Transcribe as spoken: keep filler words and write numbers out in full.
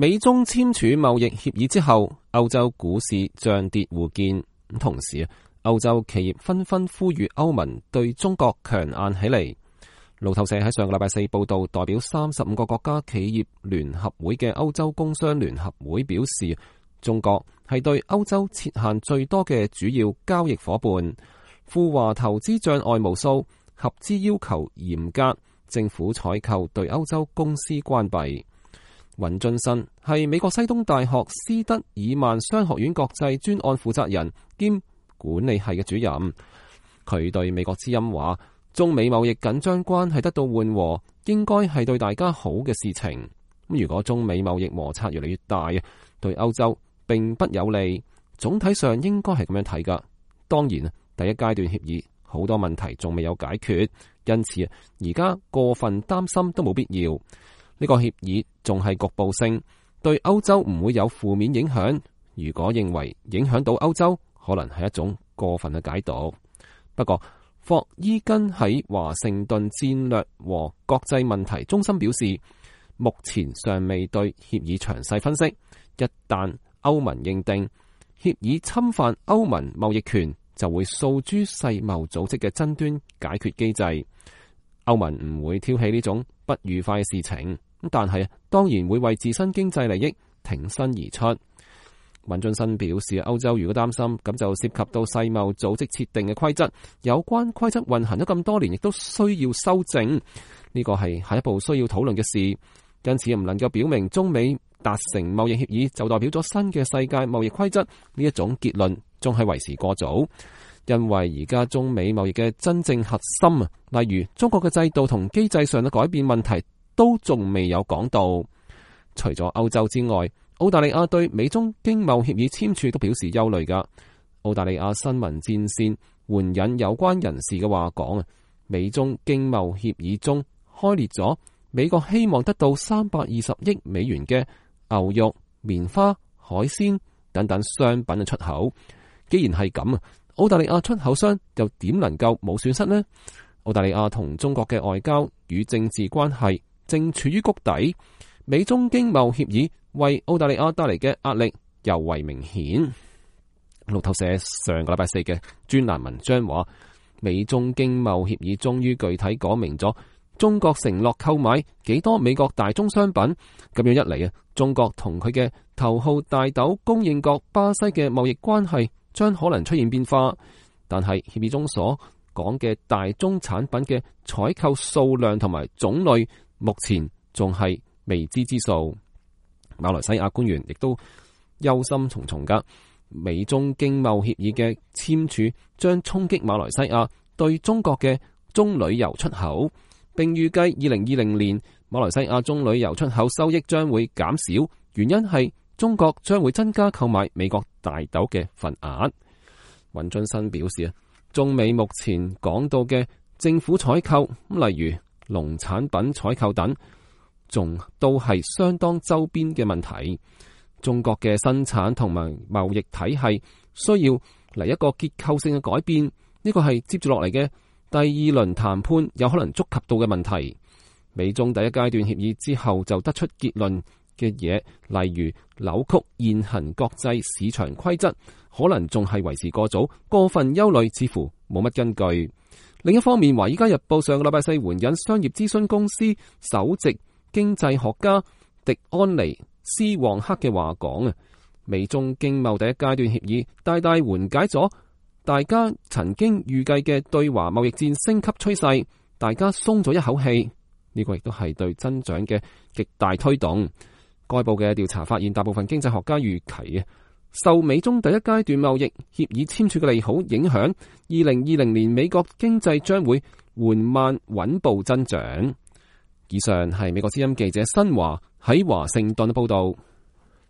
美中簽署貿易協議之後，歐洲股市漲跌互見。同時，歐洲企業紛紛呼籲歐盟對中國強硬起嚟。路透社喺上個禮拜四報道，代表三十五個國家企業聯合會嘅歐洲工商聯合會表示，中國係對歐洲設限最多嘅主要交易夥伴，赴華投資障礙無數，合資要求嚴格，政府採購對歐洲公司關閉。尹俊生係美國西東大學斯德爾曼商學院國際專案負責人兼管理系嘅主任，佢對美國之音話：中美貿易緊張關係得到緩和，應該係對大家好嘅事情。如果中美貿易摩擦越嚟越大，對歐洲並不有利。總體上應該係咁樣睇噶。當然，第一階段協議好多問題仲未有解決，因此而家過分擔心都冇必要。呢個協議仲係局部性，對歐洲唔會有負面影響。如果認為影響到歐洲，可能係一種過分嘅解讀。不過，霍伊根喺華盛頓戰略和國際問題中心表示，目前尚未對協議詳細分析。一旦歐盟認定協議侵犯歐盟貿易權，就會訴諸世貿組織嘅爭端解決機制。歐盟唔會挑起呢種不愉快嘅事情。但係當然會為自身經濟利益挺身而出。尹俊生表示，歐洲如果擔心，咁就涉及到世貿組織設定嘅規則，有關規則運行咗咁多年，亦都需要修正。呢個係下一步需要討論嘅事，因此唔能夠表明中美達成貿易協議就代表咗新嘅世界貿易規則呢一種結論，仲係為時過早。因為而家中美貿易嘅真正核心啊，例如中國嘅制度同機制上嘅改變問題，都仲未有講到。除咗歐洲之外，澳大利亞對美中經貿協議簽署都表示憂慮噶。澳大利亞新聞戰線援引有關人士嘅話講啊，美中經貿協議中開列咗美國希望得到三百二十億美元嘅牛肉、棉花、海鮮等等商品嘅出口。既然係咁啊，澳大利亞出口商又點能夠冇損失呢？澳大利亞同中國嘅外交與政治關係正處於谷底，美中經貿協議為澳大利亞帶嚟嘅壓力尤為明顯。路透社上個禮拜四嘅專欄文章話，美中經貿協議終於具體講明咗中國承諾購買幾多美國大宗商品，咁樣一嚟啊，中國同佢嘅頭號大豆供應國巴西嘅貿易關係將可能出現變化。但係協議中所講嘅大宗產品嘅採購數量同埋種類，目前仲係未知之數。馬來西亞官員亦都憂心忡忡噶，美中經貿協議嘅簽署將衝擊馬來西亞對中國嘅棕櫚油出口，並預計二零二零年馬來西亞棕櫚油出口收益將會減少，原因係中國將會增加購買美國大豆嘅份額。尹俊生表示啊，中美目前講到嘅政府採購，例如農產品採購等，仲都係相當周邊嘅問題。中國嘅生產同埋貿易體系需要嚟一個結構性嘅改變，呢個係接住落嚟嘅第二輪談判有可能觸及到嘅問題。美中第一階段協議之後就得出結論嘅嘢，例如扭曲現行國際市場規則，可能仲係為時過早，過分憂慮似乎冇乜根據。另一方面，華爾街日報上個禮拜四援引商業諮詢公司首席經濟學家迪安尼斯旺克嘅話講啊，美中經貿第一階段協議大大緩解咗大家曾經預計嘅對華貿易戰升級趨勢，大家鬆咗一口氣。呢個亦都係對增長嘅極大推動。該報嘅調查發現，大部分經濟學家預期啊，受美中第一階段貿易協議簽署嘅利好影響，二零二零年美國經濟將會緩慢穩步增長。以上係美國之音記者新華喺華盛頓嘅報道。